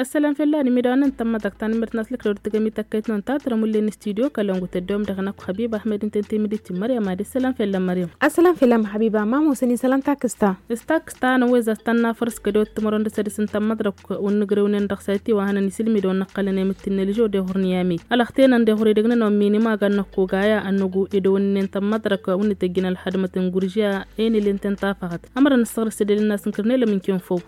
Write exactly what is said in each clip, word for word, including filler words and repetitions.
Ăssălam fell-anim idăwăn n-tămmăḍăk tanămmert n-aslăk d-tăgămit ăkkăyt-năwăn ta tărămulle n-studio kălăngu tăddoom dăɣ-năkk habiba ahmed n-tentămidit n-măryam ad-issălam fell-ammăryam. Ăssălam fell-am habiba mamosăn isălam takǝsta. S-takǝsta năwwez a-s tănnafăr s-kădewăt timărăn d-sădis n-tămmăḍrăk. Wăn n-igrewnen dăɣ-sati wa hănăn isǝlmidăwăn n-ăqqălăn i-mǝttin n-ălžăw d-ehurni i-ami ălăxtenăn d-ehur idăgg-nănăwăn minimag ad-năkk ogaya ad-năgu idăwănnen tămmăḍrăk wăn ităjjin ălxădmăt n-guržiya. Enǝl inten tafăɣăt ămărăn ǝssăɣrǝs edăl n-asǝnkărnelăm n-kinfăw.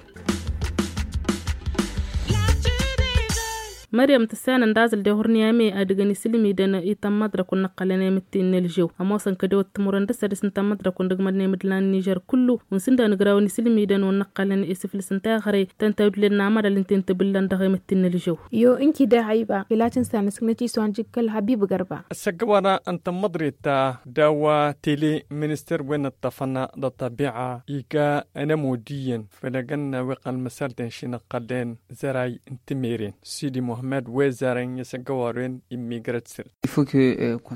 Măryăm tǝssanăn d-azǝl d-ehurni i-ami ad-ǝgăn isǝlmidăn i-tămmăḍrăk wăn n-ăqqălăn i-mǝttin n-ălžăw ămoosăn kădewăt timărăn d-sădis n-tămmăḍrăk wăn dăgg-mădnen imǝdlan n-nižer kullu. Wăn s-ǝnda nǝgrawăn isǝlmidăn wăn n-ăqqălăn isǝflǝs n-taɣre tăn-tawdǝlen n-amăḍal ǝnta i-n-tǝbǝllan dăɣ-emăttin n-ălžăw. Yo ǝnki d-ehăyba fila tǝnsa n-asǝknăt iswan jǝkkăl habib gărba. Ăssăggăwăra n-tămmăḍret ta d-a-wa tele minister wen ǝṭṭăfăn d-ăṭṭăbiɣa iga ănămud iyyăn făll-egănna wi ăqqălăn măsalten ši n-ăqqălnen zăray n-timeren sidi muhămmăd wi zărăn i-săggăwăren. Immigrăt săr.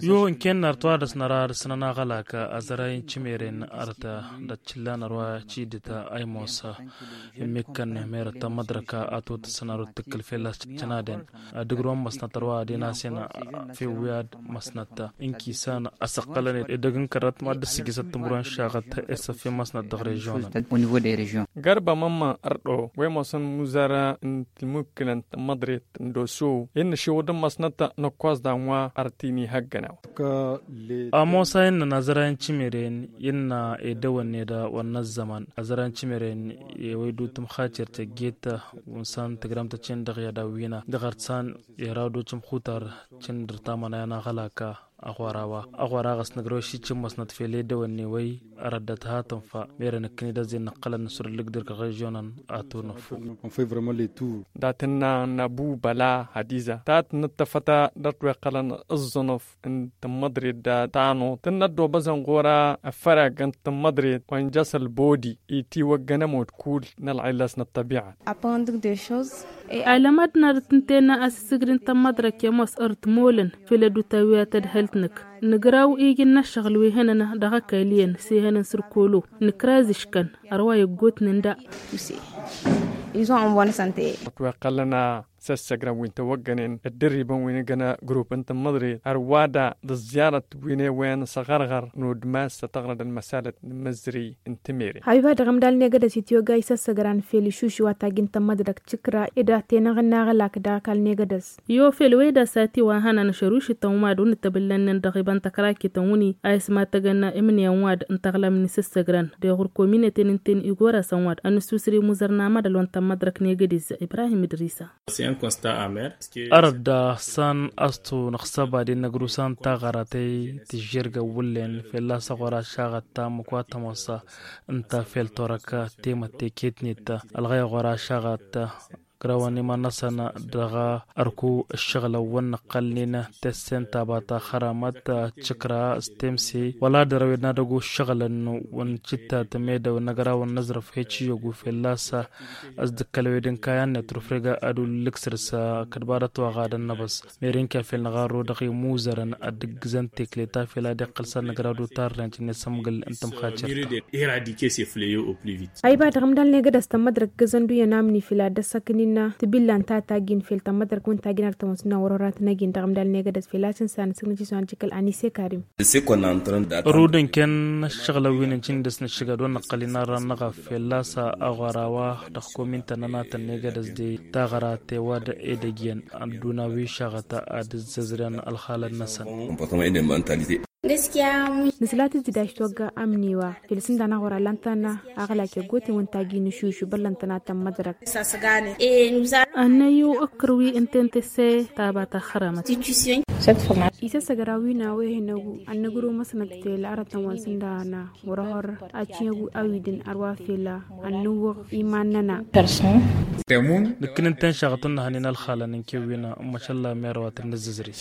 Yo ǝnken năr twadăs năra ad-sănăn aɣălak azăray n-timeren arăt d-ăččǝllan ărwa cidǝt a imosa. Immikkăn merăt tămmăḍrăk a totăsăn arut tǝkkǝl fell-as cănaden ad-ǝgrǝwăn măsnăt ărwa ad-inasen. Fewwi ad-măsnăt ǝnkisan asăqqălăn edăgg n-kărăt mad-dd-sǝjjǝsăt timǝrwen šaɣăt esăffe măsnăt dăɣ-režionăn. Gărba mămma ărḍo wi mosăn muzăra n-tǝlmukkǝlăn tămmăḍret n-doso innă šewădăn măsnăt năkkoẓ danwa. Ărtini hăggănaw. Ămoos a innăn azăra i-n timǝren innă edăwănne d-wănnă ăzzăman azăra i-n timǝren ewăy dutǝm xater tăgget wǝnsan tǝgramtăt-in dăɣ-i ad-awwina dăɣ-ărtsan. Iraw dutǝm xutar cǝndǝr tamănaya n-aɣălaka. Aɣora-wa aɣora ɣas nǝgrăw ši cǝmmăsnăt fel edăwănne wăy. Arăddăt hatăn fa merăn ǝkkǝn-dd ăzzin nǝqqălăn nǝsur ǝllǝk d-irkăɣ režionăn. Atur năffu. Dat-ǝnna n-abu băla hadiza tat n-ǝṭṭăfăt a dăr-t wi ăqqălăn ǝẓẓănăf n-tămmăḍret da tanoḍt tǝnnăt d-obăzăn ɣur-a ăffărag n-tămmăḍret wa n-jăs ălbodi itiwăggăn ămud kull n-ălɣilăs n-ăṭṭăbiɣa. Alămădnăr tǝntenna asǝssǝgrin tămmăḍrăk i-ămoos ărtmolăn făll-ădduta wi ad-tădhălt-năk. Nǝgraw ijǝn n-ăššăɣǝl wi hănăn dăɣ-ăkall iyyăn s-ihănăn săr kolo nǝkraz ǝškăn. Ărwa iggotnen da. Ătwăqqălăn a săssăgrăn wi n-tăwăggănen ăddărribăn wi n-ǝgăn grup n-tămmăḍret ărwa da d-ăẓẓiyarăt wi n-e-wen s-aɣărɣăr n-udmas s-tăɣrăd ălmăsalăt n-imǝzzǝri n-timeren. Habiba dăɣ-ămdal n-egădăs itwăgga isăssăgran fel išuši wa tajjǝn tămmăḍrăk tikra ed ad-tenăɣ n-aɣălak dăɣ-ăkall n-egădăs. Yo fel wăy d-asati wa hănăn ašărušităn wad wăn-ǝttăbǝllănnen dăɣ-iba n-tăkrakităn wăn-i a ismatăgăn imǝnǝyăn wad n-taɣlam n-isǝssăgran d-eɣur kominăten ǝnta-en igorasăn wad ănǝssusǝr imuzăr n-amădăl wa n-tămmăḍrăk n-egădez. Ibrahim idrisa. Arăt da s-an astu năɣsăba d-innăgrus a n-taɣăra tăy tǝžžergăn wǝllen fălla-s aɣora šaɣăt ta măkwatămăsa ǝnta fel torăk temătte ketnet ălɣăy aɣora šaɣăt. Grawăn iman-năsăn dăɣ-ărku ǝššăɣǝlăn wăn-năqqălnen tăssen taba ta xăramăt tǝkra s-temse wăla dăr-ăwed n-ad-ăgo ǝššăɣǝlăn wăn cǝttat medăw n-agrawăn n-aẓrǝf heci iyyăgu fălla-s. Ăsdǝkkălăwed n-kayăn-net rufreg ad-ullǝk săr-s kădba dăt-wa ɣadăn năbăẓ. Meren kefel n-aɣarru dăɣ-imuzărăn ad-ǝggǝzăn tekle ta fel ad-iqqăl s-ad-nǝgra d-utarren cǝnne s-ămgǝl n-tămxacert. Ayba dăɣ-ămdal n-egădăs tămmădrăk gǝzăn d-uyyăn amni fel ad-dd-ăssăknin tibilla n-tatajin fel tămmădrăk wǝntajin ar tămăsna wăr-wăr ad-tăn-ăjin dăɣ-ămdal n-egădăs fel a-s ǝnsan ǝsǝgnăt iswan jikăl anise karim. Rudǝn ken ăššăɣǝlăn wi n-ǝncǝn dăr-s nǝššǝgad wăn năqqăl-in arran n-aɣaf fel a-s aɣora wa dăɣ-komintăn n-anatăn n-egădăs de taɣăra tewad edăjjăn ădduna wi šaɣăt ad-ǝzzăzrăn ălxalăn-năsăn. Nǝsla tǝzzǝdaj togga amni wa fel s-ǝnda n-aɣora lan tana aɣlak i-ăggoten wǝnta agi n-išušu băllăn tănatăn mădrăk. Ănnăyyu ǝkkǝr wi ǝnta i n-tǝsse taba ta xărămăt. Isăssăgra wi n-a-wa ihănăgu ad-nǝgrǝw măsnăt fel arătăn wa n-sǝnda n-a wăr-ăhăr ad-cǝnăgu a-wi dăn ărwa fel ad-nǝwwăɣ iman-nănăɣ. Nǝkkǝn ǝnta-en šaɣăt n-nǝhănen ălxalăn n-kewwin n-măšalla merăwat n-nǝzzǝzri.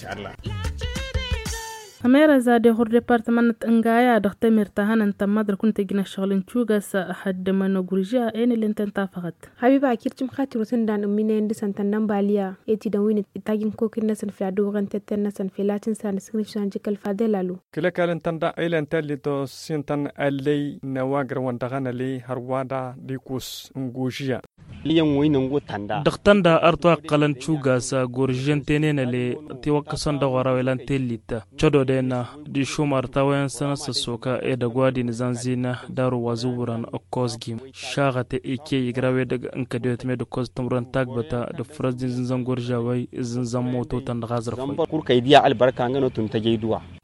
Ămerăza d-ehur departămăn n-tǝngaya dăɣ-tămert ta hănăn tămmăḍrăk wǝnta ǝjnă ăššăɣǝl n-cugas. Ăhăddămăn ăgurža enǝl ǝnta n-tafăɣăt. Habiba akir cǝmxatir wa s-ǝndan ǝmminăyăn dăɣ-săn tănnănbaliya etidăn wi n-tajǝn kokin-năsăn fel ad-dd-uwăɣăn tetten-năsăn fel a tǝnsa nǝsǝgnǝš s-anjǝkăl fadel alu. Kǝlăkal ǝntăn daɣ ilăn tallit ossin-tăn allăy n-awagrăwăn dăɣ-anălăy hărwa daɣ d-ikus n-gužya. Dăɣ-tănda ărtwa ăqqălăn cugas goržižăn tenenăle tiwăkkăsăn dăɣ-ora welan tellit cădoden. Dišumar tawăyăn săn s-ăssoka edăgg wa dinǝzănzin daru wa zǝwwărăn ăkkozgim šaɣăt ike igra wedăgg n-kădewăt med ăkkoz tǝmrăn tagbăta d-ǝfrăz dinzǝnzăn goržižawăy izǝnzăn mototăn dăɣ-azrăfăy.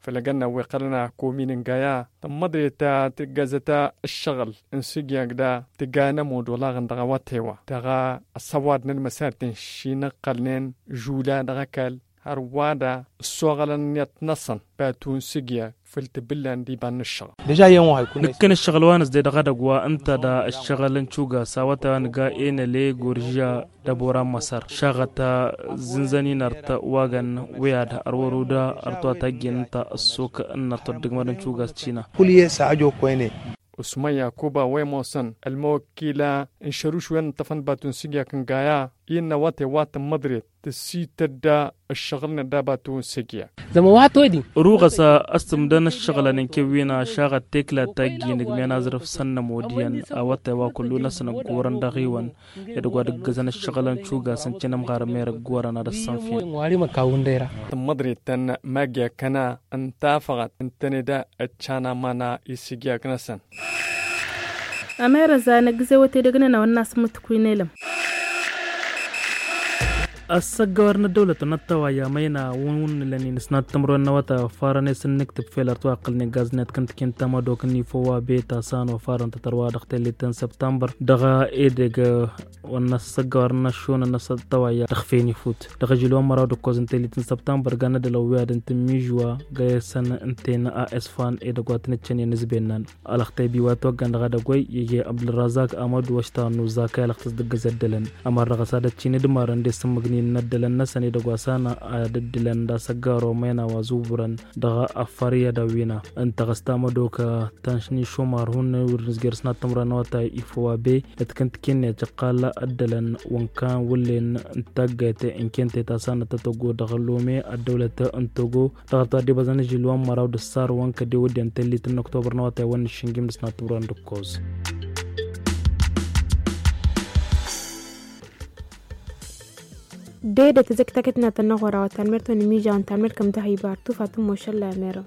Făll-agăn n-a-wi ăqqălăn a komin n-gaya tămmăḍre ta tǝggăzăt ǝššăɣǝl n-sǝgyag da tǝga n-ămud olaɣăn dăɣ-awătewa dăɣ-ăsăwad n-ălmăsarten šinăqqălnen žula dăɣ-ăkall hărwa da ăssoɣălăn iyyăt-năsăn batu n-sǝgyag făll-tǝbǝllan d-iba n-ǝššăɣǝl. Nǝkkăn ǝššăɣǝl wa nǝzde dăɣ-edăgg wa ǝnta da ǝššăɣǝl n-cugas awătewa nǝga enăle goržiža d-ăbora n-măsăr šaɣăt zǝnzăn-in ărtăt wagăn wi ad-ărwăru da ărtăt wa tajjen ǝnta ăssok n-ărtăt dăgg-mărăn cugas cina. Kul-i s-ajokkoyne. Usman yakuba wa imoosăn ălmăwăkkila n-šăruš wa n-ǝṭṭăfăn batu n-sǝgyak n-gaya i-ănnăwăte wa tămmăḍret tǝssităd ăššăɣǝl n-ădda batu n-sǝgyak. Zămăwăt odin. Ruɣăs a-s tǝmdăn ǝššăɣǝlăn n-kewwina šaɣăt tekla tajjin ǝgmen azrǝf s-ănnămod iyyăn awăte wa kullu-năsăn ăggorăn dăɣ-iwăn. Edăgg wa d-ǝggǝzăn ǝššăɣǝlăn cugas n-cinămɣar merăgg gorăn ad-ăssănfin. Tămmăḍret-tăn magg i-akăna n-tafăɣăt n-tăneda ăccanamana isǝgyak-năsăn. Ămerăza n-ăggǝze wăte dăgg-nănăwăn n-asǝmmǝt kuynelăm. Ăssăggăwăr n-ăddăwlăt n-ăttăwayya măyna wǝnnǝlăn-in s-nattămrăwăn n-awătay wa ăffarăn i-săn n-iktǝb fel ărtwa ăqqălnen gaznet kǝntǝken tamădok n-ifo wa beta san wa ăffarăn tătărwa dăɣ-tellit n-săbtambăr dăɣ-edăgg wa n-ăssăggăwăr n-aššunăn n-ăttăwayya dăɣ-fen ifut dăɣ-ažil wa n-măraw d-ǝkkoẓ n-tellit n-săbtambăr gan ad-ălăwwiyad n-tǝmmižwa găyăsăn n-ten a s-fan edăgg wa tăn-ǝccănen s-bennan. Alăxtăy biwa toggăn dăɣ-edăgg wa ije abdălrazak amădu ăštarnu zakay alăxtăs dăgg-ăzăddălăn ămăr dăɣ-s ad-ăccin d-marăn d-esǝmmǝgnin n-ăddălăn-năsăn edăgg wa s-anăɣ ad-ǝddǝlăn d-asăggaro măyna wa zubǝrăn dăɣ-afăr i-ad-ăwwina. Ǝnta ɣas tamădok tăn-išumar hun wăr nǝzger s-nattămrăn n-awătay ifo wa be d-tikǝntǝken-net căqqal ăddălăn wa n-kan wǝllen n-taggăyte n-kente ta s-anăt tătăggo dăɣ-lome ăddăwlăt n-togo. Dăɣ-ătwădde băzăn ažil wa n-măraw d-ăssar wa n-kăde wădden tellit n-oktobăr n-awătay wa n-išǝnjim dăɣ-s nattămrăn d-ǝkkoẓ. Dede tăzăktakăt n-ad-tănna ɣur-awăt talmert wa n-imižaw n-talmert kăm dăɣ-hibar tufa tǝmmošălla merăw.